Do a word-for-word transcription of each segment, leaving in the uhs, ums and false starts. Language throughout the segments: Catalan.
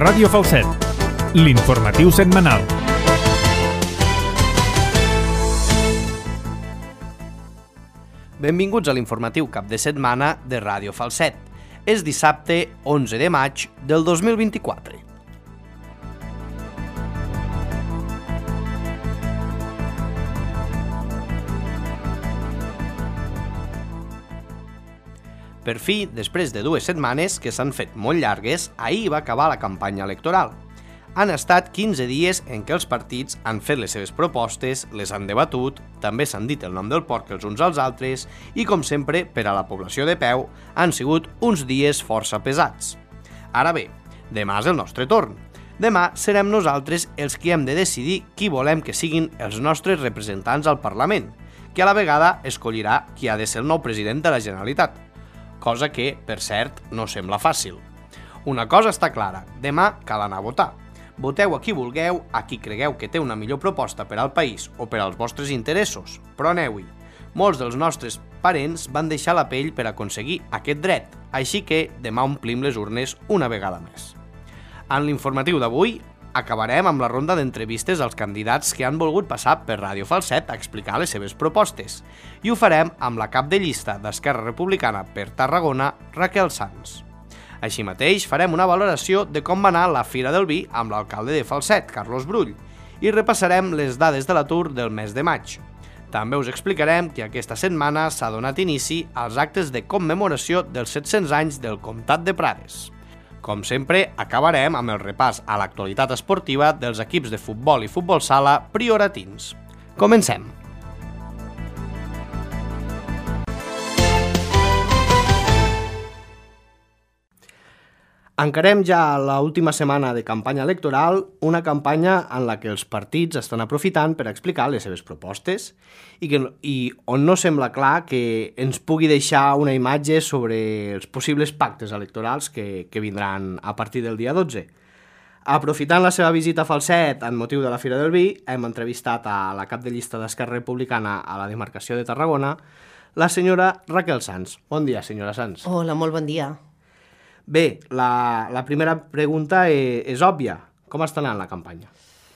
Ràdio Falset, l'informatiu setmanal. Benvinguts a l'informatiu cap de setmana de Ràdio Falset. És dissabte onze de maig del dos mil vint-i-quatre. Per fi, després de dues setmanes que s'han fet molt llargues, ahir va acabar la campanya electoral. Han estat quinze dies en què els partits han fet les seves propostes, les han debatut, també s'han dit el nom del porc els uns als altres i, com sempre, per a la població de peu, han sigut uns dies força pesats. Ara bé, demà és el nostre torn. Demà serem nosaltres els qui hem de decidir qui volem que siguin els nostres representants al Parlament, que a la vegada escollirà qui ha de ser el nou president de la Generalitat. Cosa que, per cert, no sembla fàcil. Una cosa està clara, demà cal anar a votar. Voteu a qui vulgueu, a qui cregueu que té una millor proposta per al país o per als vostres interessos, però aneu-hi. Molts dels nostres parents van deixar la pell per aconseguir aquest dret, així que demà omplim les urnes una vegada més. En l'informatiu d'avui acabarem amb la ronda d'entrevistes als candidats que han volgut passar per Ràdio Falset a explicar les seves propostes, i ho farem amb la cap de llista d'Esquerra Republicana per Tarragona, Raquel Sans. Així mateix, farem una valoració de com va anar la Fira del Vi amb l'alcalde de Falset, Carlos Brull, i repassarem les dades de l'atur del mes de maig. També us explicarem que aquesta setmana s'ha donat inici als actes de commemoració dels set-cents anys del Comtat de Prades. Com sempre, acabarem amb el repàs a l'actualitat esportiva dels equips de futbol i futbol sala prioratins. Comencem! Encarem ja l'última setmana de campanya electoral, una campanya en la que els partits estan aprofitant per explicar les seves propostes i, que, i on no sembla clar que ens pugui deixar una imatge sobre els possibles pactes electorals que, que vindran a partir del dia dotze. Aprofitant la seva visita a Falset en motiu de la Fira del Vi, hem entrevistat a la cap de llista d'Esquerra Republicana a la demarcació de Tarragona, la senyora Raquel Sans. Bon dia, senyora Sans. Hola, molt bon dia. Bé, la, la primera pregunta és, és òbvia. Com està anant la campanya?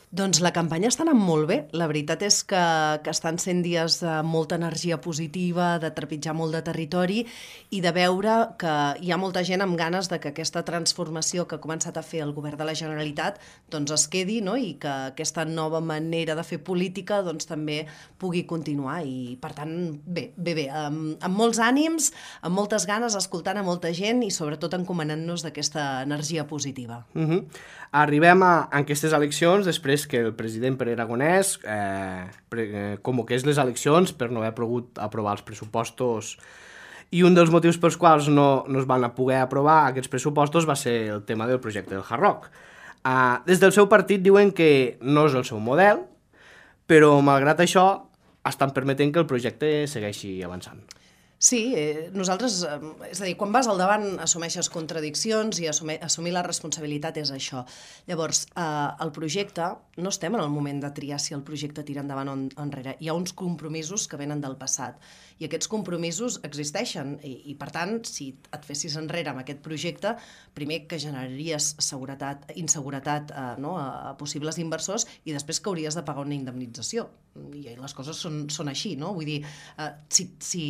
Doncs la campanya està anant molt bé. La veritat és que, que estan sent dies de molta energia positiva, de trepitjar molt de territori i de veure que hi ha molta gent amb ganes de que aquesta transformació que ha començat a fer el govern de la Generalitat doncs es quedi, no? I que aquesta nova manera de fer política doncs, també pugui continuar. I, per tant, bé, bé, bé, amb, amb molts ànims, amb moltes ganes, escoltant a molta gent i sobretot encomanant-nos d'aquesta energia positiva. Uh-huh. Arribem a, a aquestes eleccions després que el president Pere Aragonès eh, pre, eh, convoqués les eleccions per no haver pogut aprovar els pressupostos, i un dels motius pels quals no, no es van poder aprovar aquests pressupostos va ser el tema del projecte del Hard Rock. Eh, des del seu partit diuen que no és el seu model, però malgrat això estan permetent que el projecte segueixi avançant. Sí, eh, nosaltres, eh, és a dir, quan vas al davant assumeixes contradiccions i assumir, assumir la responsabilitat és això. Llavors, eh, el projecte, no estem en el moment de triar si el projecte tira endavant o enrere. Hi ha uns compromisos que venen del passat i aquests compromisos existeixen i, i per tant, si et fessis enrere amb aquest projecte, primer que generaries seguretat, inseguretat eh, no, a, a possibles inversors i després que hauries de pagar una indemnització. I les coses són, són així, no? Vull dir, eh, si... si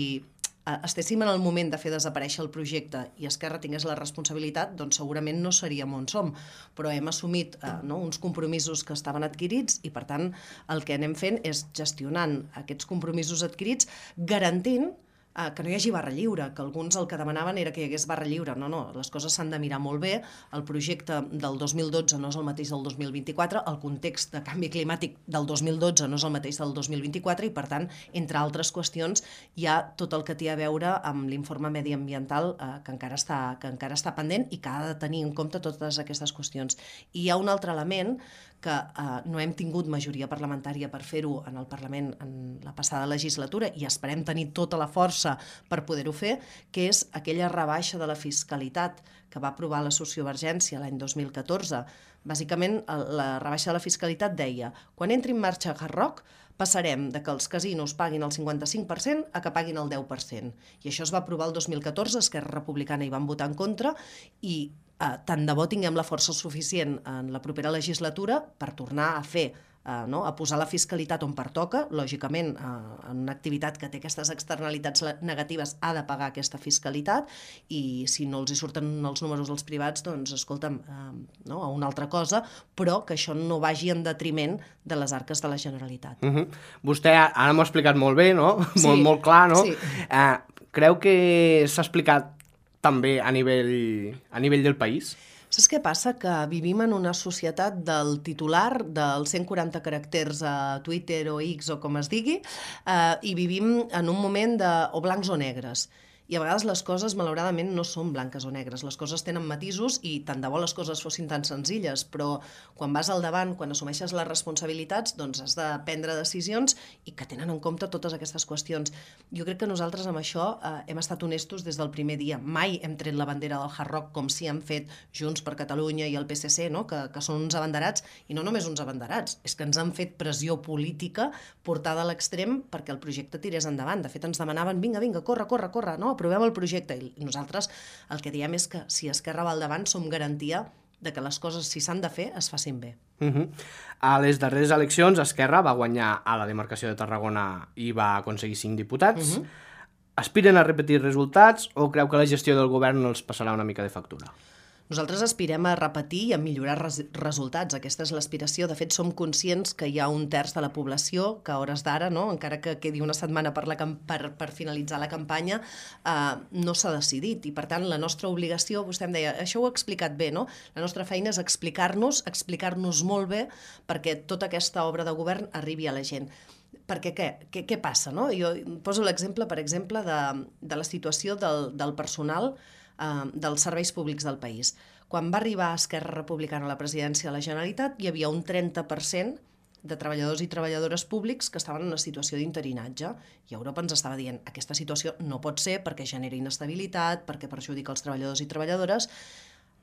estéssim en el moment de fer desaparèixer el projecte i Esquerra tingués la responsabilitat, doncs segurament no seríem on som, però hem assumit eh, no, uns compromisos que estaven adquirits i per tant el que anem fent és gestionant aquests compromisos adquirits garantint eh, que no hi hagi barra lliure, que alguns el que demanaven era que hi hagués barra lliure. No, no, les coses s'han de mirar molt bé, el projecte del dos mil dotze no és el mateix del dos mil vint-i-quatre, el context de canvi climàtic del dos mil dotze no és el mateix del dos mil vint-i-quatre i per tant, entre altres qüestions, hi ha tot el que té a veure amb l'informe mediambiental eh, que, encara està, que encara està pendent i que ha de tenir en compte totes aquestes qüestions. I hi ha un altre element que eh, no hem tingut majoria parlamentària per fer-ho en el Parlament en la passada legislatura i esperem tenir tota la força per poder-ho fer, que és aquella rebaixa de la fiscalitat que va aprovar la sociovergència l'any dos mil catorze. Bàsicament, la rebaixa de la fiscalitat deia quan entri en marxa Hard Rock passarem de que els casinos paguin el cinquanta-cinc per cent a que paguin el deu per cent. I això es va aprovar el dos mil catorze, Esquerra Republicana hi van votar en contra i eh, tant de bo tinguem la força suficient en la propera legislatura per tornar a fer Uh, no? a posar la fiscalitat on pertoca, lògicament uh, en una activitat que té aquestes externalitats negatives ha de pagar aquesta fiscalitat i si no els hi surten els números dels privats, doncs escolta'm, uh, no? a una altra cosa, però que això no vagi en detriment de les arques de la Generalitat. Uh-huh. Vostè ara m'ho ha explicat molt bé, no? Sí. molt, molt clar, no? Sí. Uh, creu que s'ha explicat també a nivell, a nivell del país? Saps què passa? Que vivim en una societat del titular, dels cent quaranta caràcters a Twitter o X o com es digui, eh, i vivim en un moment de o blancs o negres. I a vegades les coses, malauradament, no són blanques o negres. Les coses tenen matisos i tant de bo les coses fossin tan senzilles, però quan vas al davant, quan assumeixes les responsabilitats, doncs has de prendre decisions i que tenen en compte totes aquestes qüestions. Jo crec que nosaltres amb això eh, hem estat honestos des del primer dia. Mai hem tret la bandera del Hard Rock com si han fet Junts per Catalunya i el P S C, no? que, que són uns abanderats, i no només uns abanderats, és que ens han fet pressió política portada a l'extrem perquè el projecte tirés endavant. De fet, ens demanaven, vinga, vinga, corre, corre, corre, no? Aprovem el projecte, i nosaltres el que diem és que si Esquerra va al davant som garantia de que les coses, si s'han de fer, es facin bé. Uh-huh. A les darreres eleccions, Esquerra va guanyar a la demarcació de Tarragona i va aconseguir cinc diputats. Uh-huh. Aspiren a repetir resultats o creu que la gestió del govern els passarà una mica de factura? Nosaltres aspirem a repetir i a millorar res resultats. Aquesta és l'aspiració. De fet, som conscients que hi ha un terç de la població que a hores d'ara, no? encara que quedi una setmana per, la per, per finalitzar la campanya, eh, no s'ha decidit. I, per tant, la nostra obligació, vostè em deia, això ho ha explicat bé, no? La nostra feina és explicar-nos, explicar-nos molt bé perquè tota aquesta obra de govern arribi a la gent. Perquè què? Què, què passa? No? Jo poso l'exemple, per exemple, de, de la situació del, del personal dels serveis públics del país. Quan va arribar Esquerra Republicana a la presidència de la Generalitat, hi havia un trenta per cent de treballadors i treballadores públics que estaven en una situació d'interinatge. I Europa ens estava dient, aquesta situació no pot ser perquè genera inestabilitat, perquè perjudica els treballadors i treballadores.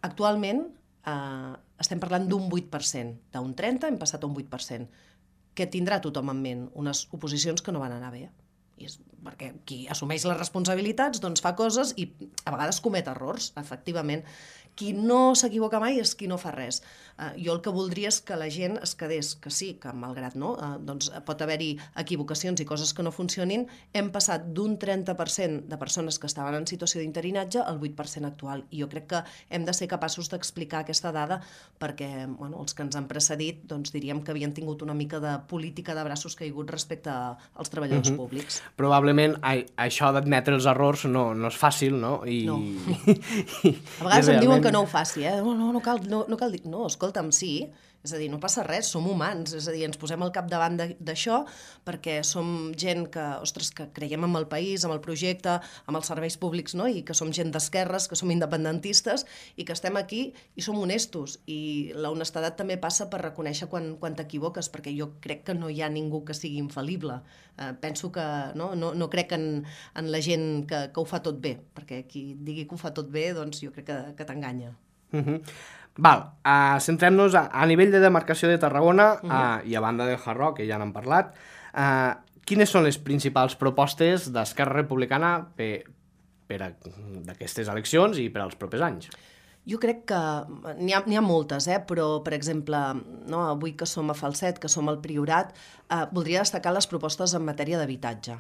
Actualment eh, estem parlant d'un vuit per cent. D'un trenta hem passat a un vuit per cent. Què tindrà tothom en ment? Unes oposicions que no van anar bé. I és perquè qui assumeix les responsabilitats doncs fa coses i a vegades comet errors, efectivament. Qui no s'equivoca mai és qui no fa res. Uh, jo el que voldria és que la gent es quedés, que sí, que malgrat no, uh, doncs pot haver-hi equivocacions i coses que no funcionin, hem passat d'un trenta per cent de persones que estaven en situació d'interinatge al vuit per cent actual. I jo crec que hem de ser capaços d'explicar aquesta dada perquè bueno, els que ens han precedit doncs, diríem que havien tingut una mica de política de braços caiguts respecte als treballadors uh-huh. públics. Probablement a, això d'admetre els errors no, no és fàcil, no? I, no. I, a vegades em diuen que no ho faci, eh? No, no, no cal, no, no cal dir... No, escolta'm, sí, és a dir, no passa res, som humans, és a dir, ens posem al capdavant d'això perquè som gent que, ostres, que creiem en el país, en el projecte, amb els serveis públics, no? I que som gent d'esquerres, que som independentistes i que estem aquí i som honestos. I la honestedat també passa per reconèixer quan, quan t'equivoques, perquè jo crec que no hi ha ningú que sigui infal·lible. Eh, penso que no, no, no crec en, en la gent que, que ho fa tot bé, perquè qui digui que ho fa tot bé, doncs jo crec que, que t'enganya. Uh-huh. Val, uh, centrem-nos a, a nivell de demarcació de Tarragona uh-huh. uh, i a banda del Hard Rock, que ja n'hem parlat. Uh, quines són les principals propostes d'Esquerra Republicana per, per a, d'aquestes eleccions i per als propers anys? Jo crec que n'hi ha, n'hi ha moltes, eh? Però, per exemple, no, avui que som a Falset, que som al Priorat, eh, voldria destacar les propostes en matèria d'habitatge.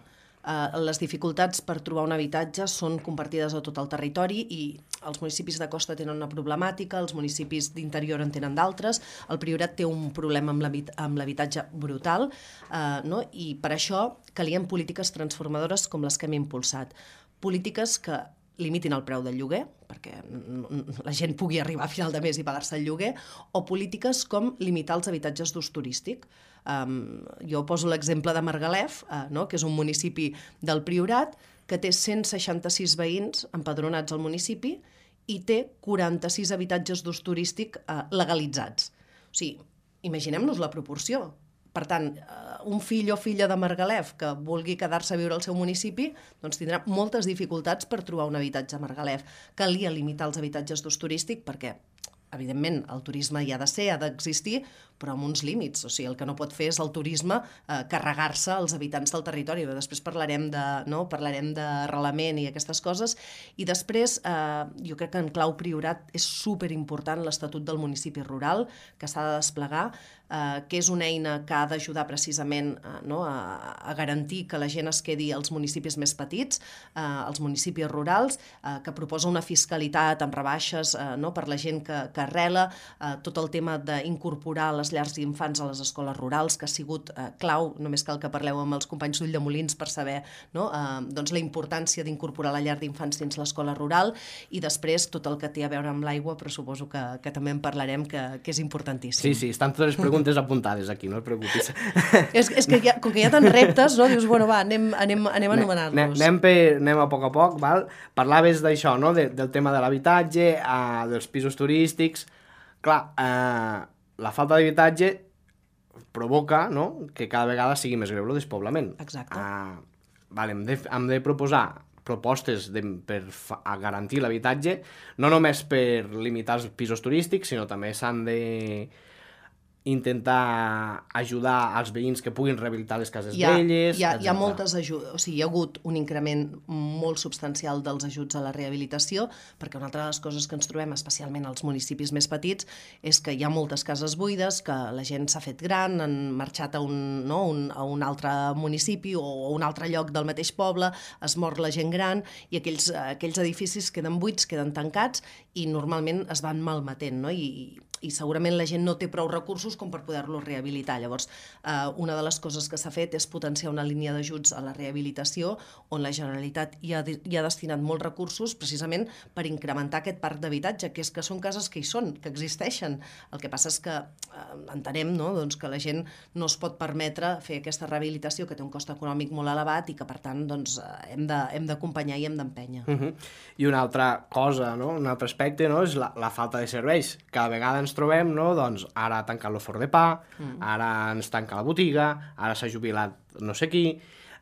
Uh, les dificultats per trobar un habitatge són compartides a tot el territori i els municipis de costa tenen una problemàtica, els municipis d'interior en tenen d'altres, el Priorat té un problema amb l'habitatge brutal, uh, no? I per això calien polítiques transformadores com les que hem impulsat. Polítiques que limitin el preu del lloguer, perquè la gent pugui arribar a final de mes i pagar-se el lloguer, o polítiques com limitar els habitatges d'ús turístic. Um, jo poso l'exemple de Margalef, uh, no? que és un municipi del Priorat, que té cent seixanta-sis veïns empadronats al municipi i té quaranta-sis habitatges d'ús turístic uh, legalitzats. O sigui, imaginem-nos la proporció. Per tant, un fill o filla de Margalef que vulgui quedar-se a viure al seu municipi doncs tindrà moltes dificultats per trobar un habitatge a Margalef. Calia limitar els habitatges d'ús turístic perquè evidentment, el turisme hi ha de ser, ha d'existir, però amb uns límits. O sigui, el que no pot fer és el turisme eh, carregar-se als habitants del territori. Després parlarem de, no? parlarem d'arrelament i aquestes coses. I després, eh, jo crec que en clau Priorat és superimportant l'Estatut del Municipi Rural, que s'ha de desplegar, eh, que és una eina que ha d'ajudar precisament eh, no? a, a garantir que la gent es quedi als municipis més petits, eh, als municipis rurals, eh, que proposa una fiscalitat amb rebaixes eh, no? per la gent que, que arrela, eh, tot el tema d'incorporar les llars d'infants a les escoles rurals, que ha sigut eh, clau, només cal que parleu amb els companys d'Ulldemolins per saber no? eh, doncs la importància d'incorporar la llar d'infants dins l'escola rural, i després tot el que té a veure amb l'aigua, però suposo que, que també en parlarem, que, que és importantíssim. Sí, sí, estan totes les preguntes apuntades aquí, no et preocupis. és, és que hi ha, com que hi ha tants reptes, no? Dius, bueno, va, anem, anem, anem a anomenar-los. Anem, per, anem a poc a poc, val? Parlaves d'això, no? De, del tema de l'habitatge, eh, dels pisos turístics. Clar, eh, la falta d'habitatge provoca no? que cada vegada sigui més greu el despoblament. Exacte. Uh, vale, hem, de, hem de proposar propostes de, per fa, a garantir l'habitatge, no només per limitar els pisos turístics, sinó també s'han de intentar ajudar als veïns que puguin rehabilitar les cases hi ha, velles, hi ha, etcètera. Hi ha moltes ajudes, o sigui, hi ha hagut un increment molt substancial dels ajuts a la rehabilitació, perquè una altra de les coses que ens trobem, especialment als municipis més petits, és que hi ha moltes cases buides, que la gent s'ha fet gran, han marxat a un, no, un, a un altre municipi o a un altre lloc del mateix poble, es mor la gent gran, i aquells, aquells edificis queden buits, queden tancats, i normalment es van malmetent, no? I, i segurament la gent no té prou recursos com per poder-los rehabilitar. Llavors, eh, una de les coses que s'ha fet és potenciar una línia d'ajuts a la rehabilitació on la Generalitat hi ha, hi ha destinat molts recursos precisament per incrementar aquest parc d'habitatge, que és que són cases que hi són, que existeixen. El que passa és que eh, entenem no? doncs que la gent no es pot permetre fer aquesta rehabilitació, que té un cost econòmic molt elevat i que, per tant, doncs, hem de, hem d'acompanyar i hem d'empènyer. Uh-huh. I una altra cosa, no? Un altre aspecte no? és la, la falta de serveis. Cada vegada ens trobem, no? doncs ara ha tancat l'Ofort de Pa, mm. ara ens tanca la botiga, ara s'ha jubilat no sé qui.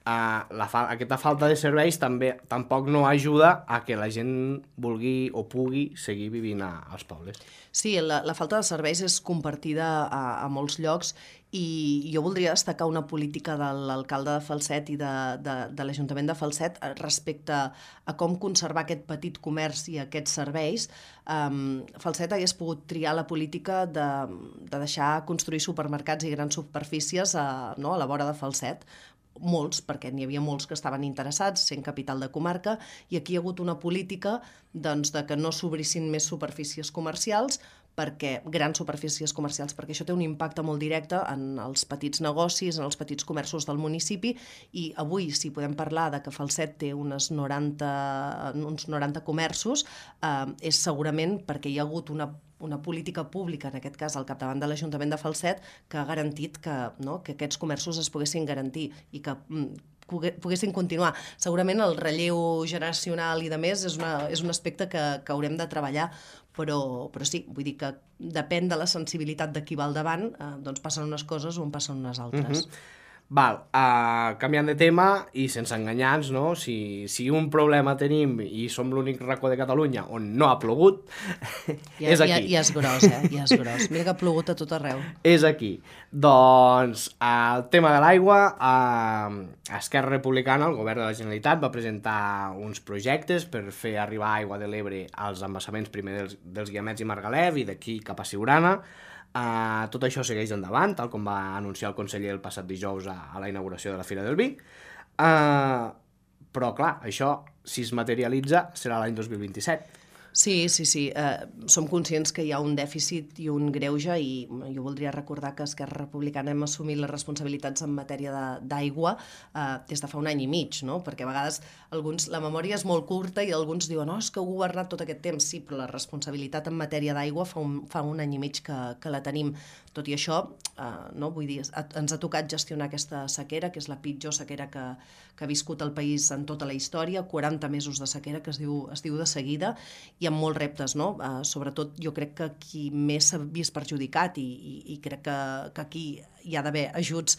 Uh, la fa aquesta falta de serveis també tampoc no ajuda a que la gent vulgui o pugui seguir vivint a, als pobles. Sí, la, la falta de serveis és compartida a, a molts llocs, i jo voldria destacar una política de l'alcalde de Falset i de, de, de l'Ajuntament de Falset respecte a com conservar aquest petit comerç i aquests serveis. Um, Falset hagués pogut triar la política de, de deixar construir supermercats i grans superfícies a, no, a la vora de Falset, molts, perquè n'hi havia molts que estaven interessats, sent capital de comarca, i aquí hi ha hagut una política doncs, de que no s'obrissin més superfícies comercials, perquè grans superfícies comercials, perquè això té un impacte molt directe en els petits negocis, en els petits comerços del municipi, i avui, si podem parlar de que Falset té unes noranta, uns noranta comerços, eh, és segurament perquè hi ha hagut una una política pública, en aquest cas al capdavant de l'Ajuntament de Falset, que ha garantit que, no, que aquests comerços es poguessin garantir i que mm, poguessin continuar. Segurament el relleu generacional i de més és, una, és un aspecte que, que haurem de treballar, però, però sí, vull dir que depèn de la sensibilitat de qui va al davant, eh, doncs passen unes coses o en passen unes altres. Uh-huh. Val, uh, canviant de tema i sense enganyar-nos, no? Si, si un problema tenim i som l'únic racó de Catalunya on no ha plogut, ja, és aquí. Ja, ja és gros, eh? Ja és gros. Mira que ha plogut a tot arreu. És aquí. Doncs el tema de l'aigua, uh, Esquerra Republicana, el govern de la Generalitat, va presentar uns projectes per fer arribar aigua de l'Ebre als embassaments primer dels, dels Guiamets i Margalef i d'aquí cap a Siurana. Uh, tot això segueix endavant, tal com va anunciar el conseller el passat dijous a, a la inauguració de la Fira del Vi. Uh, però, clar, això, si es materialitza, serà l'any dos mil vint-i-set. Sí, sí, sí. Eh, som conscients que hi ha un dèficit i un greuge, i jo voldria recordar que Esquerra Republicana hem assumit les responsabilitats en matèria d'aigua eh, des de fa un any i mig, no? Perquè a vegades alguns, la memòria és molt curta i alguns diuen no, és que heu governat tot aquest temps. Sí, però la responsabilitat en matèria d'aigua fa, un, fa un any i mig que, que la tenim. Tot i això, eh, no? Vull dir, ens ha tocat gestionar aquesta sequera, que és la pitjor sequera que, que ha viscut el país en tota la història, quaranta mesos de sequera, que es diu, es diu de seguida, hi ha molts reptes, no? Uh, sobretot jo crec que qui més s'ha vist perjudicat i, i, i crec que, que aquí hi ha d'haver ajuts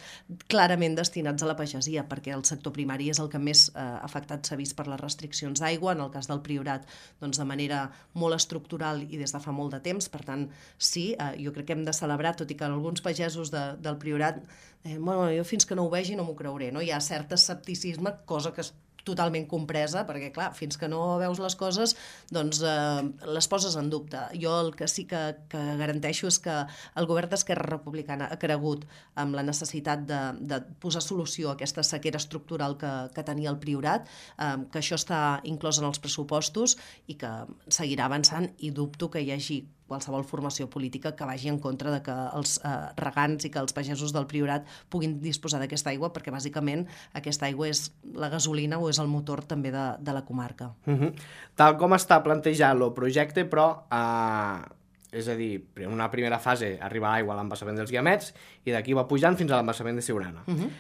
clarament destinats a la pagesia, perquè el sector primari és el que més eh, afectat s'ha vist per les restriccions d'aigua, en el cas del Priorat, doncs de manera molt estructural i des de fa molt de temps. Per tant, sí, eh, jo crec que hem de celebrar, tot i que alguns pagesos de, del Priorat, eh, bueno, jo fins que no ho vegi no m'ho creuré, no? Hi ha cert escepticisme, cosa que és totalment compresa, perquè, clar, fins que no veus les coses, doncs eh, les poses en dubte. Jo el que sí que, que garanteixo és que el govern d'Esquerra Republicana ha cregut amb la necessitat de, de posar solució a aquesta sequera estructural que, que tenia el Priorat, eh, que això està inclòs en els pressupostos i que seguirà avançant, i dubto que hi hagi qualsevol formació política que vagi en contra de que els eh, regants i que els pagesos del Priorat puguin disposar d'aquesta aigua, perquè bàsicament aquesta aigua és la gasolina o és el motor també de, de la comarca. Uh-huh. Tal com està plantejat el projecte, però, eh, és a dir, en una primera fase arriba l'aigua a l'embassament dels Guiamets i d'aquí va pujant fins a l'embassament de Siurana. Uh-huh.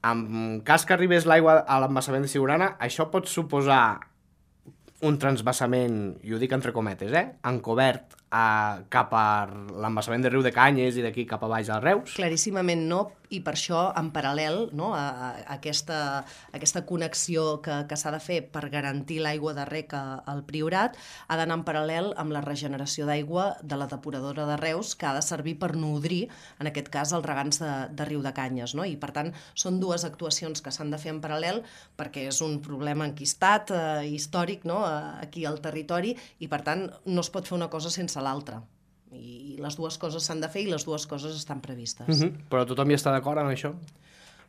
En cas que arribés l'aigua a l'embassament de Siurana, això pot suposar un transvassament, i ho dic entre cometes, eh, encobert a, cap a l'embassament de Riu de Canyes i d'aquí cap a baix al Reus? Claríssimament no, i per això, en paral·lel, no, a, a aquesta, a aquesta connexió que, que s'ha de fer per garantir l'aigua de rec al Priorat, ha d'anar en paral·lel amb la regeneració d'aigua de la depuradora de Reus, que ha de servir per nodrir, en aquest cas, els regants de, de Riu de Canyes, no? I, per tant, són dues actuacions que s'han de fer en paral·lel, perquè és un problema enquistat, eh, històric, no?, aquí al territori, i, per tant, no es pot fer una cosa sense l'altra. I les dues coses s'han de fer i les dues coses estan previstes. Uh-huh. Però tothom hi està d'acord amb això?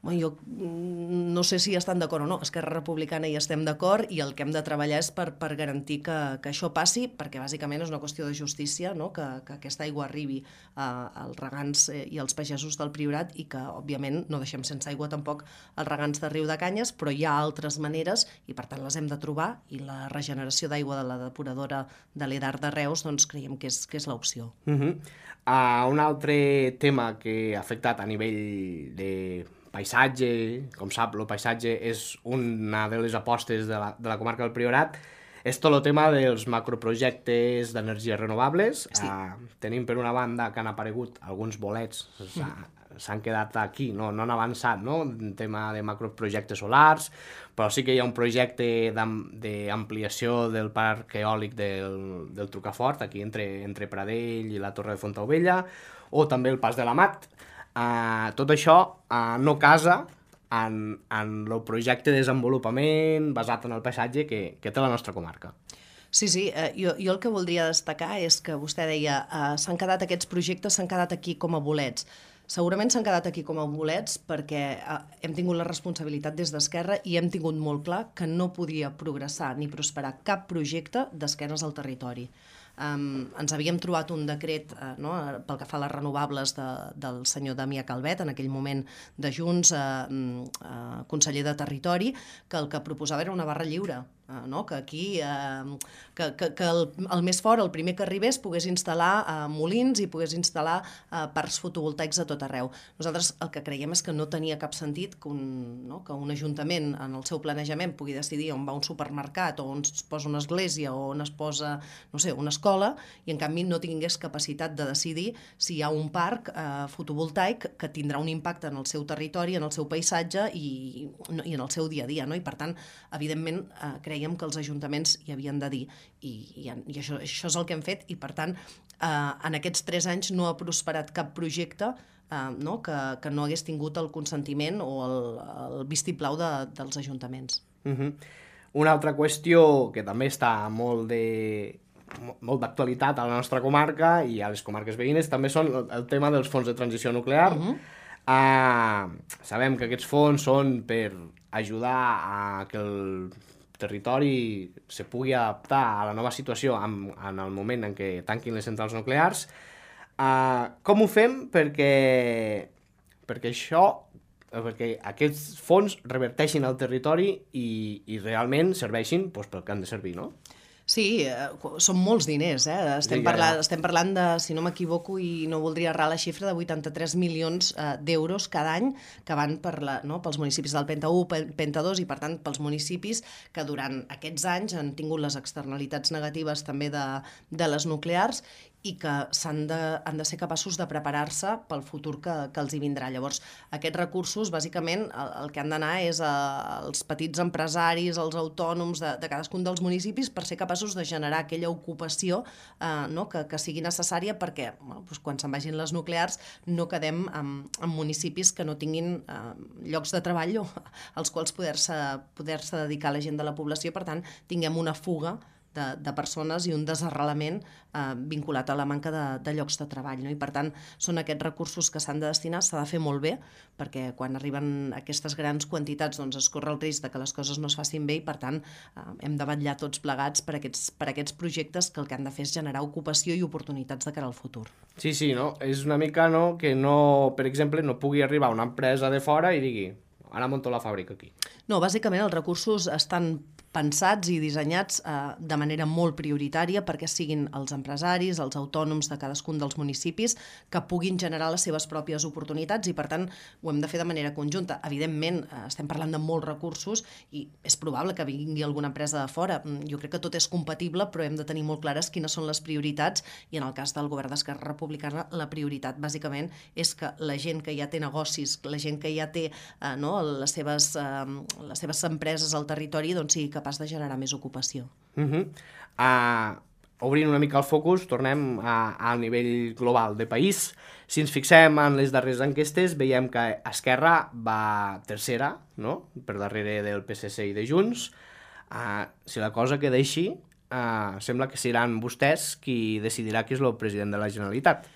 Bueno, jo no sé si hi estan d'acord o no. Esquerra Republicana hi estem d'acord i el que hem de treballar és per, per garantir que, que això passi, perquè bàsicament és una qüestió de justícia, no? que, que aquesta aigua arribi a, als regants i als pagesos del Priorat i que, òbviament, no deixem sense aigua tampoc els regants de Riu de Canyes, però hi ha altres maneres i, per tant, les hem de trobar, i la regeneració d'aigua de la depuradora de l'Edar de Reus, doncs creiem que és, que és l'opció. Uh-huh. uh, un altre tema que ha afectat a nivell de paisatge, com sap, el paisatge és una de les apostes de la, de la comarca del Priorat, és tot el tema dels macroprojectes d'energies renovables. Sí. Uh, tenim per una banda que han aparegut alguns bolets, mm. s'han quedat aquí, no, no han avançat, no?, en tema de macroprojectes solars, però sí que hi ha un projecte d'ampliació del parc eòlic del, del Trucafort, aquí entre, entre Pradell i la Torre de Fontaubella, o també el Pas de la Mat. Uh, tot això uh, no casa en, en el projecte de desenvolupament basat en el paisatge que, que té la nostra comarca. Sí, sí, eh, jo, jo el que voldria destacar és que vostè deia eh, s'han quedat aquests projectes, s'han quedat aquí com a bolets. Segurament s'han quedat aquí com a bolets perquè eh, hem tingut la responsabilitat des d'Esquerra i hem tingut molt clar que no podia progressar ni prosperar cap projecte d'esquenes al territori. Um, ens havíem trobat un decret uh, no, pel que fa a les renovables de, del senyor Damià Calvet, en aquell moment de Junts, uh, uh, conseller de Territori, que el que proposava era una barra lliure, uh, no? que aquí, uh, que, que, que el, el més fort, el primer que arribés, pogués instal·lar uh, molins i pogués instal·lar uh, parcs fotovoltaics a tot arreu. Nosaltres el que creiem és que no tenia cap sentit que un, no, que un ajuntament en el seu planejament pugui decidir on va un supermercat o on es posa una església o on es posa, no sé, una escola, i en canvi no tingués capacitat de decidir si hi ha un parc eh, fotovoltaic que tindrà un impacte en el seu territori, en el seu paisatge i, i en el seu dia a dia, no? I per tant, evidentment, eh, creiem que els ajuntaments hi havien de dir, i, i, i això, això és el que hem fet, i per tant, eh, en aquests tres anys no ha prosperat cap projecte eh, no? que, que no hagués tingut el consentiment o el, el vistiplau de, dels ajuntaments. Uh-huh. Una altra qüestió que també està molt de molt d'actualitat a la nostra comarca i a les comarques veïnes també són el tema dels fons de transició nuclear. Uh-huh. uh, sabem que aquests fons són per ajudar a que el territori se pugui adaptar a la nova situació en, en el moment en què tanquin les centrals nuclears. Uh, com ho fem perquè, perquè això perquè aquests fons reverteixin al territori i, i realment serveixin doncs, pel que han de servir, no? Sí, eh, són molts diners, eh? Estem, Digue, parlant, ja. estem parlant de, si no m'equivoco i no voldria errar la xifra, de vuitanta-tres milions eh, d'euros cada any que van per la, no, pels municipis del Penta u, Penta dos i per tant pels municipis que durant aquests anys han tingut les externalitats negatives també de, de les nuclears i que s'han de, han de ser capaços de preparar-se pel futur que, que els hi vindrà. Llavors, aquests recursos, bàsicament, el, el que han d'anar és a, als petits empresaris, als autònoms de, de cadascun dels municipis per ser capaços de generar aquella ocupació eh, no, que, que sigui necessària perquè bueno, doncs quan se'n vagin les nuclears no quedem en, en municipis que no tinguin eh, llocs de treball o, als quals poder-se poder-se dedicar la gent de la població, per tant, tinguem una fuga De, de persones i un desarrelament eh, vinculat a la manca de, de llocs de treball. No? I per tant, són aquests recursos que s'han de destinar, s'ha de fer molt bé, perquè quan arriben aquestes grans quantitats doncs es corre el risc de que les coses no es facin bé i per tant eh, hem de vetllar tots plegats per aquests, per aquests projectes que el que han de fer és generar ocupació i oportunitats de cara al futur. Sí, sí, no? És una mica no, que no, per exemple, no pugui arribar una empresa de fora i digui ara munto la fàbrica aquí. No, bàsicament els recursos estan pensats i dissenyats eh, de manera molt prioritària perquè siguin els empresaris, els autònoms de cadascun dels municipis que puguin generar les seves pròpies oportunitats i per tant ho hem de fer de manera conjunta. Evidentment, eh, estem parlant de molts recursos i és probable que vingui alguna empresa de fora. Jo crec que tot és compatible, però hem de tenir molt clares quines són les prioritats i en el cas del govern d'Esquerra Republicana la prioritat bàsicament és que la gent que ja té negocis, la gent que ja té eh, no, les, seves, eh, les seves empreses al territori doncs sigui capaç de generar més ocupació. Uh -huh. uh, obrint una mica el focus, tornem a, a nivell global de país. Si ens fixem en les darreres enquestes, veiem que Esquerra va tercera, no? Per darrere del P S C i de Junts. Uh, si la cosa queda així, uh, sembla que seran vostès qui decidirà qui és el president de la Generalitat.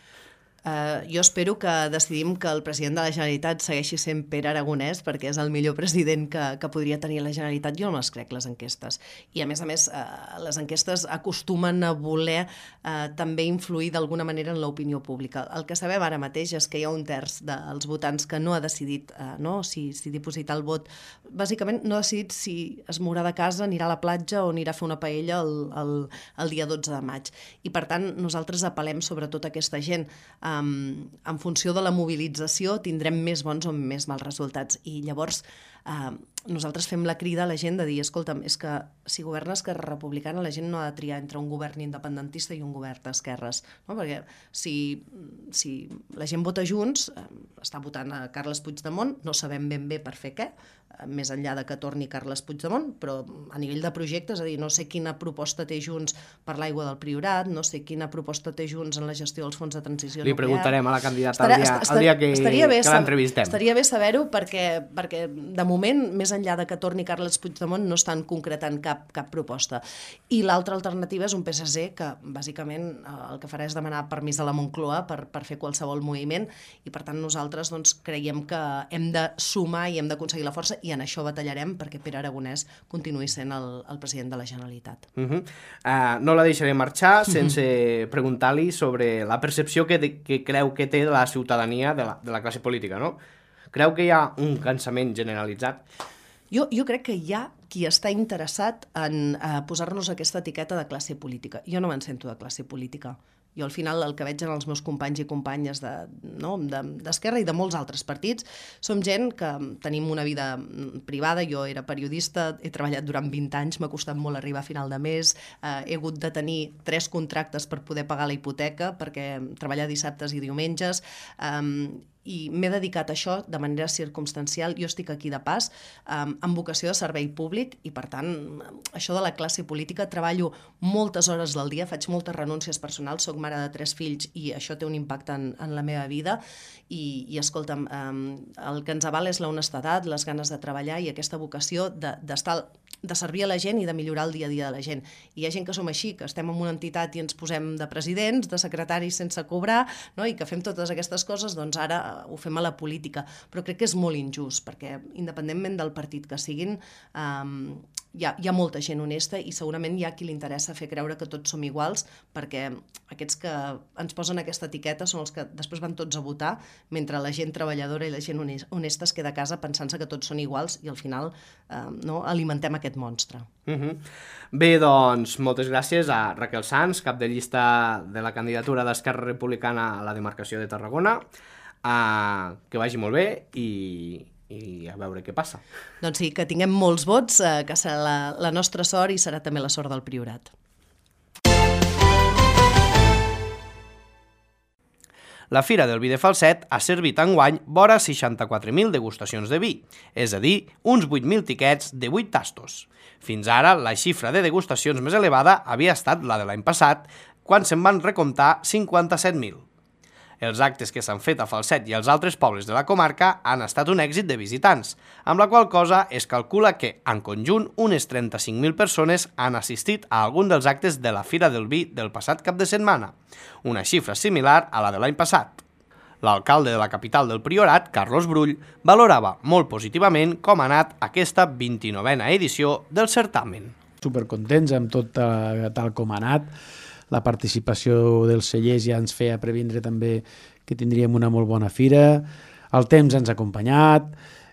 Uh, jo espero que decidim que el president de la Generalitat segueixi sent Pere Aragonès perquè és el millor president que, que podria tenir la Generalitat. Jo no les crec, les enquestes. I a més a més, uh, les enquestes acostumen a voler uh, també influir d'alguna manera en l'opinió pública. El que sabem ara mateix és que hi ha un terç dels votants que no ha decidit uh, no, si, si dipositar el vot. Bàsicament no ha decidit si es mourà de casa, anirà a la platja o anirà a fer una paella el, el, el dia dotze de maig. I per tant, nosaltres apel·lem sobretot a aquesta gent. Um, en funció de la mobilització tindrem més bons o més mals resultats i llavors uh, nosaltres fem la crida a la gent de dir, escolta'm, és que si governa Esquerra Republicana la gent no ha de triar entre un govern independentista i un govern d'esquerres, no? Perquè si, si la gent vota Junts, eh, està votant a Carles Puigdemont, no sabem ben bé per fer què, eh, més enllà de que torni Carles Puigdemont, però a nivell de projectes, és a dir, no sé quina proposta té Junts per l'aigua del Priorat, no sé quina proposta té Junts en la gestió dels fons de transició Li nuclear. preguntarem a la candidata Estarà, el dia, estar, el dia que, bé, que l'entrevistem. Estaria bé saber-ho perquè, perquè de moment, més enllà de que torni Carles Puigdemont, no estan concretant cap, cap proposta. I l'altra alternativa és un P S C que, bàsicament, el que farà és demanar permís a la Moncloa per, per fer qualsevol moviment i, per tant, nosaltres doncs, creiem que hem de sumar i hem d'aconseguir la força i en això batallarem perquè Pere Aragonès continuï sent el, el president de la Generalitat. Uh -huh. uh, no la deixaré marxar sense uh -huh. preguntar-li sobre la percepció que, de, que creu que té la ciutadania de la, de la classe política, no? Creu que hi ha un cansament generalitzat? Jo, jo crec que hi ha qui està interessat en eh, posar-nos aquesta etiqueta de classe política. Jo no me'n sento de classe política. Jo al final el que veig en els meus companys i companyes de, no, de, d'Esquerra i de molts altres partits som gent que tenim una vida privada. Jo era periodista, he treballat durant vint anys, m'ha costat molt arribar a final de mes, eh, he hagut de tenir tres contractes per poder pagar la hipoteca perquè treballar dissabtes i diumenges, eh, i m'he dedicat a això de manera circumstancial. Jo estic aquí de pas, um, amb vocació de servei públic i, per tant, això de la classe política, treballo moltes hores del dia, faig moltes renúncies personals, soc mare de tres fills i això té un impacte en, en la meva vida i, i escolta'm, um, el que ens avala és l'honestedat, les ganes de treballar i aquesta vocació d'estar... De, de servir a la gent i de millorar el dia a dia de la gent. I hi ha gent que som així, que estem en una entitat i ens posem de presidents, de secretaris sense cobrar, no? I que fem totes aquestes coses, doncs ara ho fem a la política. Però crec que és molt injust, perquè independentment del partit que siguin, um, hi ha, hi ha molta gent honesta i segurament hi ha qui li interessa fer creure que tots som iguals, perquè aquests que ens posen aquesta etiqueta són els que després van tots a votar, mentre la gent treballadora i la gent honesta es queda a casa pensant-se que tots són iguals i al final eh, no, alimentem aquest aquest monstre. Uh-huh. Bé, doncs, moltes gràcies a Raquel Sans, cap de llista de la candidatura d'Esquerra Republicana a la demarcació de Tarragona. Uh, que vagi molt bé i, i a veure què passa. Doncs sí, que tinguem molts vots, eh, que serà la, la nostra sort i serà també la sort del Priorat. La Fira del Vi de Falset ha servit enguany vora seixanta-quatre mil degustacions de vi, és a dir, uns vuit mil tiquets de vuit tastos. Fins ara, la xifra de degustacions més elevada havia estat la de l'any passat, quan se'n van recomptar cinquanta-set mil. Els actes que s'han fet a Falset i als altres pobles de la comarca han estat un èxit de visitants, amb la qual cosa es calcula que, en conjunt, unes trenta-cinc mil persones han assistit a algun dels actes de la Fira del Vi del passat cap de setmana, una xifra similar a la de l'any passat. L'alcalde de la capital del Priorat, Carlos Brull, valorava molt positivament com ha anat aquesta vint-i-novena edició del certamen. Supercontents amb tot tal com ha anat. La participació dels cellers ja ens feia previndre també que tindríem una molt bona fira. El temps ens ha acompanyat,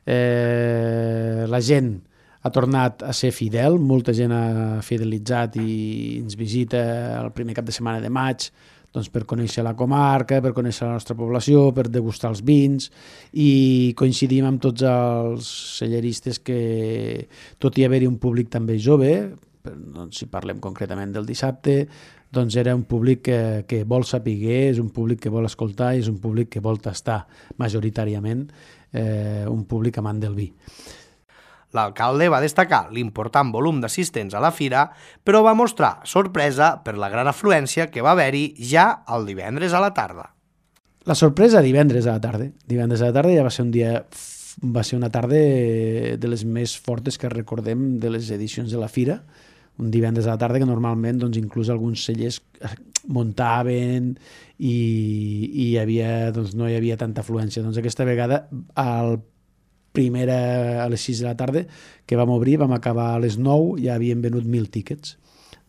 eh, la gent ha tornat a ser fidel, molta gent ha fidelitzat i ens visita el primer cap de setmana de maig, doncs per conèixer la comarca, per conèixer la nostra població, per degustar els vins, i coincidim amb tots els celleristes que, tot i haver-hi un públic també jove, doncs si parlem concretament del dissabte, doncs era un públic que, que vol saber, és un públic que vol escoltar i és un públic que vol tastar majoritàriament, eh, un públic amant del vi. L'alcalde va destacar l'important volum d'assistents a la fira, però va mostrar sorpresa per la gran afluència que va haver-hi ja el divendres a la tarda. La sorpresa divendres a la tarda. Divendres a la tarda ja va ser un dia, va ser una tarda de les més fortes que recordem de les edicions de la fira. Un divendres a la tarda que normalment doncs, inclús alguns cellers muntaven i, i hi havia, doncs, no hi havia tanta afluència. Doncs aquesta vegada, al primera, a les sis de la tarda, que vam obrir, vam acabar a les nou, ja havien venut mil tíquets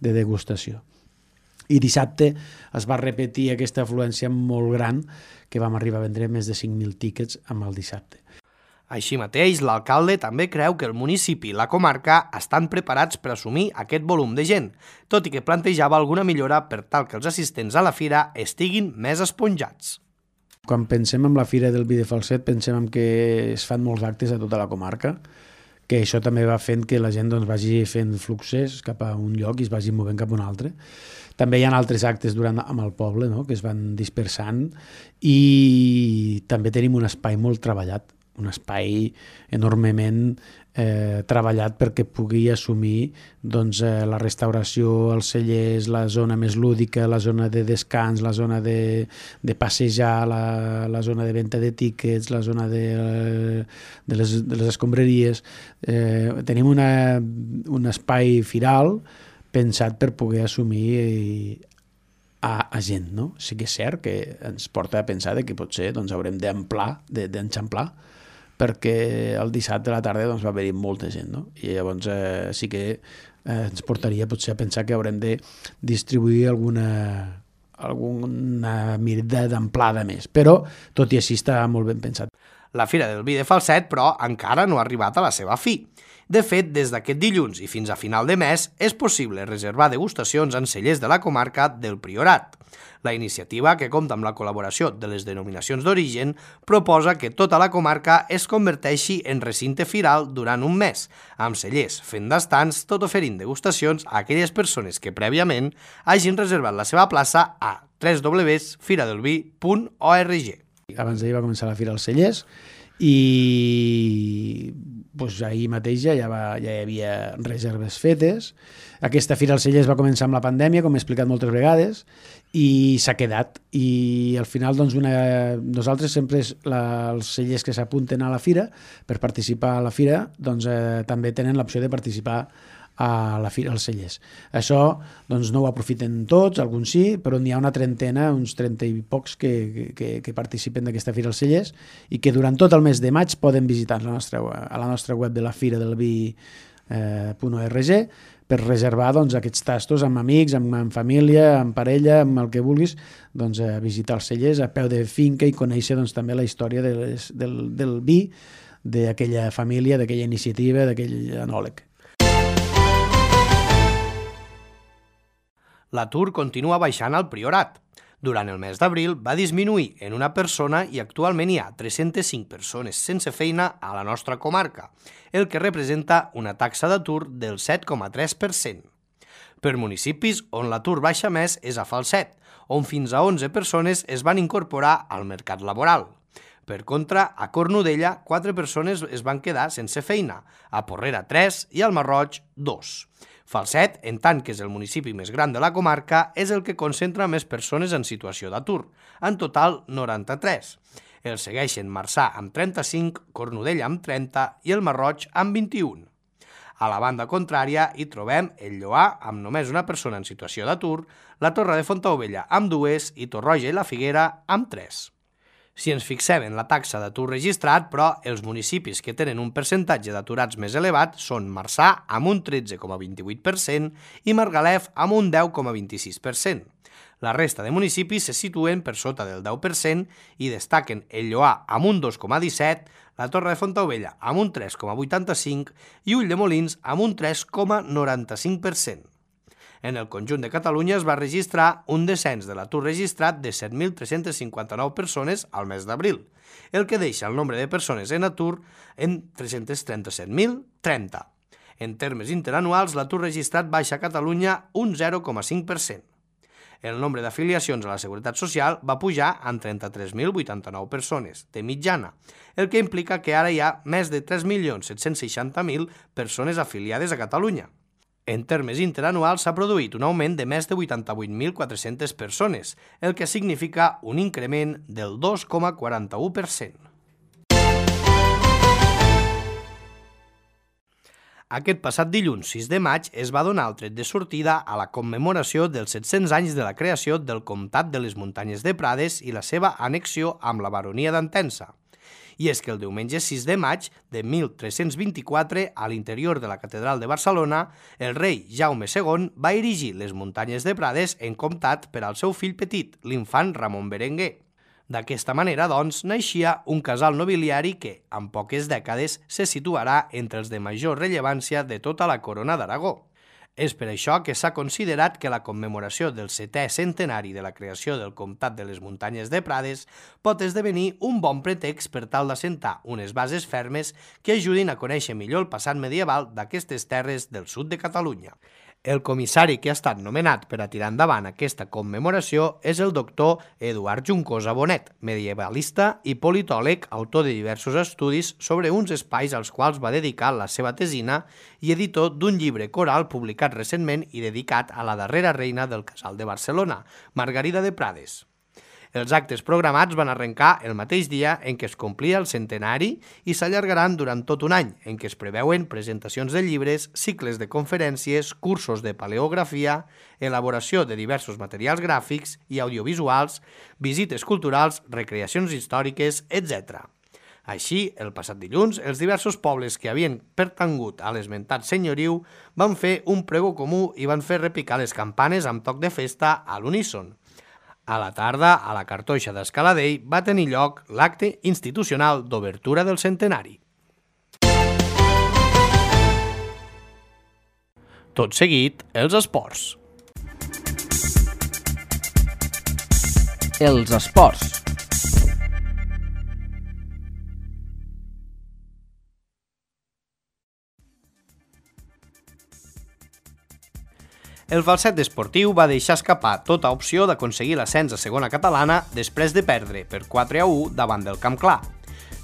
de degustació. I dissabte es va repetir aquesta afluència molt gran, que vam arribar a vendre més de cinc mil tíquets amb el dissabte. Així mateix, l'alcalde també creu que el municipi i la comarca estan preparats per assumir aquest volum de gent, tot i que plantejava alguna millora per tal que els assistents a la fira estiguin més esponjats. Quan pensem en la Fira del Vi de Falset, pensem en que es fan molts actes a tota la comarca, que això també va fent que la gent doncs, vagi fent fluxes cap a un lloc i es vagi movent cap a un altre. També hi ha altres actes durant amb el poble, no?, que es van dispersant, i també tenim un espai molt treballat, un espai enormement eh, treballat perquè pugui assumir doncs, eh, la restauració, els cellers, la zona més lúdica, la zona de descans, la zona de, de passejar, la, la zona de venda de tíquets, la zona de, de, les, de les escombraries. Eh, tenim una, un espai firal pensat per poder assumir a, a gent, no? Sí que és cert que ens porta a pensar que potser doncs, haurem d'emplar, d'enxamplar, perquè el dissabte a la tarda doncs, va haver-hi molta gent, no? I llavors eh, sí que eh, ens portaria potser a pensar que haurem de distribuir alguna, alguna mirada d'amplada més, però tot i així està molt ben pensat. La Fira del Vi de Falset, però, encara no ha arribat a la seva fi. De fet, des d'aquest dilluns i fins a final de mes és possible reservar degustacions en cellers de la comarca del Priorat. La iniciativa, que compta amb la col·laboració de les denominacions d'origen, proposa que tota la comarca es converteixi en recinte firal durant un mes, amb cellers fent d'estants, tot oferint degustacions a aquelles persones que prèviament hagin reservat la seva plaça a w w w punt fira del vi punt org. Abans d'ahir va començar la Fira dels Cellers i doncs, ahir mateix ja, va, ja hi havia reserves fetes. Aquesta Fira dels Cellers va començar amb la pandèmia, com he explicat moltes vegades, i s'ha quedat. I al final doncs, una, nosaltres sempre la, els cellers que s'apunten a la fira per participar a la fira doncs, eh, també tenen l'opció de participar a la fira als cellers. Això doncs, no ho aprofiten tots, alguns sí, però n'hi ha una trentena, uns trenta i pocs que, que, que participen d'aquesta fira als cellers i que durant tot el mes de maig poden visitar la nostra, a la nostra web de la fira del vi punt org per reservar doncs, aquests tastos amb amics, amb, amb família, amb parella, amb el que vulguis, doncs, a visitar els cellers a peu de finca i conèixer doncs, també la història de les, del, del vi, d'aquella família, d'aquella iniciativa, d'aquell enòleg. L'atur continua baixant al Priorat. Durant el mes d'abril va disminuir en una persona i actualment hi ha tres-centes cinc persones sense feina a la nostra comarca, el que representa una taxa d'atur del set coma tres per cent. Per municipis on l'atur baixa més és a Falset, on fins a onze persones es van incorporar al mercat laboral. Per contra, a Cornudella, quatre persones es van quedar sense feina, a Porrera tres i al Masroig dos. Falset, en tant que és el municipi més gran de la comarca, és el que concentra més persones en situació d'atur, en total noranta-tres. El segueixen Marçà amb trenta-cinc, Cornudella amb trenta i el Masroig amb vint-i-un. A la banda contrària hi trobem el Lloar amb només una persona en situació d'atur, la Torre de Fontaubella amb dues i Torroja i la Figuera amb tres. Si ens fixem en la taxa d'atur registrat, però els municipis que tenen un percentatge d'aturats més elevat són Marçà amb un tretze coma vint-i-vuit per cent i Margalef amb un deu coma vint-i-sis per cent. La resta de municipis se situen per sota del deu per cent i destaquen el Lloar amb un dos coma disset, la Torre de Fontaubella amb un tres coma vuitanta-cinc i Ulldemolins amb un tres coma noranta-cinc per cent. En el conjunt de Catalunya es va registrar un descens de l'atur registrat de set mil tres-cents cinquanta-nou persones al mes d'abril, el que deixa el nombre de persones en atur en tres-cents trenta-set mil trenta. En termes interanuals, l'atur registrat baixa a Catalunya un zero coma cinc per cent. El nombre d'afiliacions a la Seguretat Social va pujar en trenta-tres mil vuitanta-nou persones, de mitjana, el que implica que ara hi ha més de tres milions set-cents seixanta mil persones afiliades a Catalunya. En termes interanuals s'ha produït un augment de més de vuitanta-vuit mil quatre-centes persones, el que significa un increment del dos coma quaranta-u per cent. Aquest passat dilluns sis de maig es va donar el tret de sortida a la commemoració dels set-cents anys de la creació del Comtat de les Muntanyes de Prades i la seva annexió amb la baronia d'Entença. I és que el diumenge sis de maig de mil tres-cents vint-i-quatre, a l'interior de la Catedral de Barcelona, el rei Jaume segon va erigir les Muntanyes de Prades en comtat per al seu fill petit, l'infant Ramon Berenguer. D'aquesta manera, doncs, naixia un casal nobiliari que, en poques dècades, se situarà entre els de major rellevància de tota la corona d'Aragó. És per això que s'ha considerat que la commemoració del setè centenari de la creació del Comtat de les Muntanyes de Prades pot esdevenir un bon pretext per tal d'assentar unes bases fermes que ajudin a conèixer millor el passat medieval d'aquestes terres del sud de Catalunya. El comissari que ha estat nomenat per a tirar endavant aquesta commemoració és el doctor Eduard Juncosa Bonet, medievalista i politòleg, autor de diversos estudis sobre uns espais als quals va dedicar la seva tesina i editor d'un llibre coral publicat recentment i dedicat a la darrera reina del Casal de Barcelona, Margarida de Prades. Els actes programats van arrencar el mateix dia en què es complia el centenari i s'allargaran durant tot un any, en què es preveuen presentacions de llibres, cicles de conferències, cursos de paleografia, elaboració de diversos materials gràfics i audiovisuals, visites culturals, recreacions històriques, etcètera. Així, el passat dilluns, els diversos pobles que havien pertangut a l'esmentat senyoriu van fer un prego comú i van fer repicar les campanes amb toc de festa a l'uníson. A la tarda, a la Cartoixa d'Escaladell, va tenir lloc l'acte institucional d'obertura del centenari. Tot seguit, els esports. Els esports. El Falset esportiu va deixar escapar tota opció d'aconseguir l'ascens a segona catalana després de perdre per quatre a u davant del Camp Clar.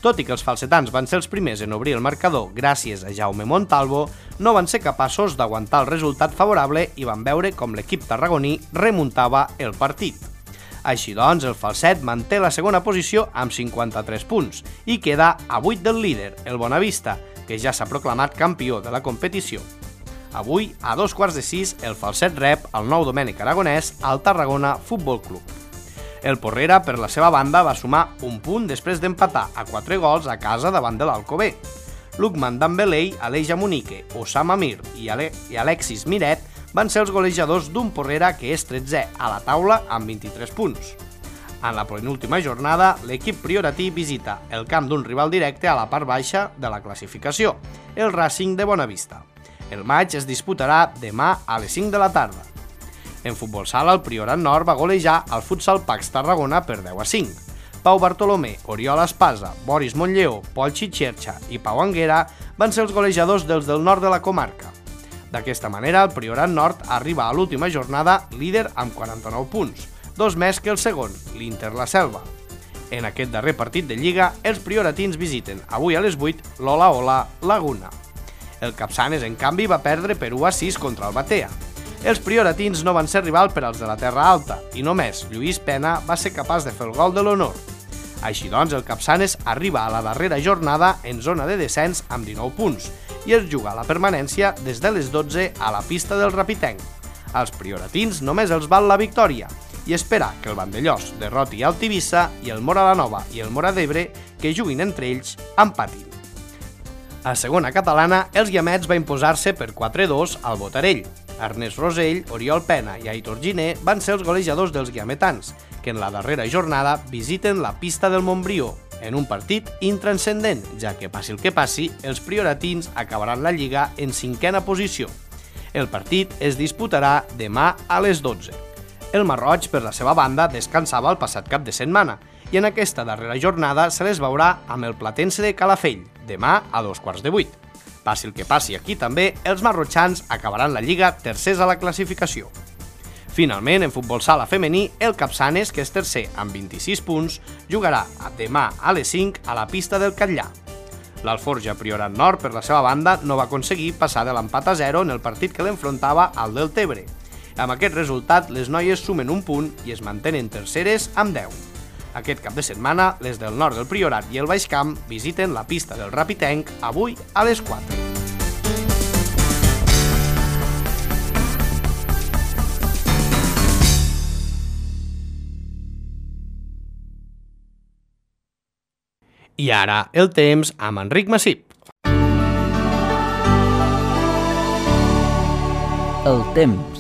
Tot i que els falsetans van ser els primers en obrir el marcador gràcies a Jaume Montalvo, no van ser capaços d'aguantar el resultat favorable i van veure com l'equip tarragoní remuntava el partit. Així doncs, el Falset manté la segona posició amb cinquanta-tres punts i queda a vuit del líder, el Bonavista, que ja s'ha proclamat campió de la competició. Avui, a dos quarts de sis, el Falset rep el nou Domènec Aragonès al Tarragona Futbol Club. El Porrera, per la seva banda, va sumar un punt després d'empatar a quatre gols a casa davant de l'Alcobé. Lukman Dambelei, Aleix Amunique, Osama Mir i, Ale i Alexis Miret van ser els golejadors d'un Porrera que és tretzè a la taula amb vint-i-tres punts. En la penúltima jornada, l'equip prioratí visita el camp d'un rival directe a la part baixa de la classificació, el Racing de Bonavista. El maig es disputarà demà a les cinc de la tarda. En futbol sala, el Priorat Nord va golejar el Futsal Pax Tarragona per deu a cinc. Pau Bartolomé, Oriol Espasa, Boris Montlleó, Pol Xixerxa i Pau Anguera van ser els golejadors dels del nord de la comarca. D'aquesta manera, el Priorat Nord arriba a l'última jornada líder amb quaranta-nou punts, dos més que el segon, l'Inter La Selva. En aquest darrer partit de Lliga, els prioratins visiten avui a les vuit l'Ola Ola Laguna. El Capçanes, en canvi, va perdre per u a sis contra el Batea. Els prioratins no van ser rival per als de la Terra Alta i només Lluís Pena va ser capaç de fer el gol de l'honor. Així doncs, el Capçanes arriba a la darrera jornada en zona de descens amb dinou punts i es juga la permanència des de les dotze a la pista del Rapitenc. Als prioratins només els val la victòria i espera que el Vandellós derroti el Tivissa i el Mora la Nova i el Mora d'Ebre, que juguin entre ells, empatin. A segona catalana, els Guiamets va imposar-se per quatre a dos al Botarell. Ernest Rosell, Oriol Pena i Aitor Giner van ser els golejadors dels guiametans, que en la darrera jornada visiten la pista del Montbrió, en un partit intranscendent, ja que passi el que passi, els prioratins acabaran la Lliga en cinquena posició. El partit es disputarà demà a les dotze. El Marroig, per la seva banda, descansava el passat cap de setmana i en aquesta darrera jornada se les veurà amb el Platense de Calafell, demà a dos quarts de vuit. Passi el que passi aquí també, els marrotxans acabaran la Lliga tercers a la classificació. Finalment, en futbol sala femení, el Capçanes, que és tercer amb vint-i-sis punts, jugarà demà a les cinc a la pista del Catllà. L'Alforja Priorat Nord, per la seva banda, no va aconseguir passar de l'empat a zero en el partit que l'enfrontava al Deltebre. Amb aquest resultat, les noies sumen un punt i es mantenen terceres amb deu. Aquest cap de setmana, les del nord del Priorat i el Baix Camp visiten la pista del Rapitenc avui a les quatre. I ara, el temps amb Enric Massip. El temps.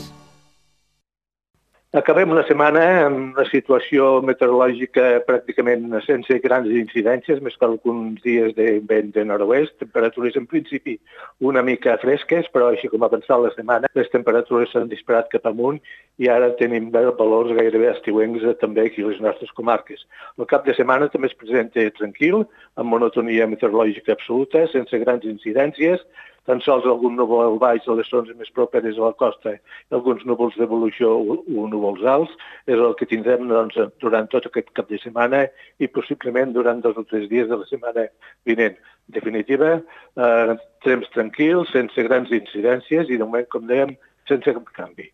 Acabem la setmana amb una situació meteorològica pràcticament sense grans incidències, més que alguns dies de vent de nord-oest, temperatures en principi una mica fresques, però així com ha avançat la setmana, les temperatures s'han disparat cap amunt i ara tenim valors gairebé estiuencs també aquí a les nostres comarques. El cap de setmana també es presenta tranquil, amb monotonia meteorològica absoluta, sense grans incidències, tan sols algun núvol al baix de les zones més properes a la costa i alguns núvols d'evolució o núvols alts, és el que tindrem doncs, durant tot aquest cap de setmana i possiblement durant dos o tres dies de la setmana vinent. En definitiva, eh, temps tranquils, sense grans incidències i de moment, com dèiem, sense cap canvi.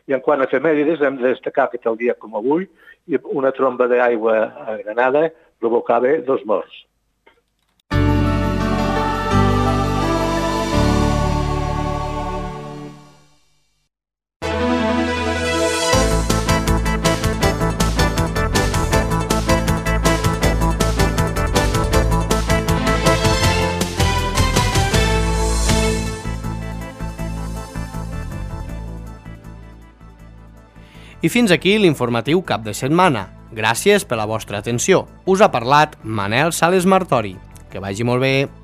I en quant a efemèrides, hem de destacar que tal dia com avui una tromba d'aigua a Granada provocava dos morts. I fins aquí l'informatiu cap de setmana. Gràcies per la vostra atenció. Us ha parlat Manel Sales Martori. Que vagi molt bé.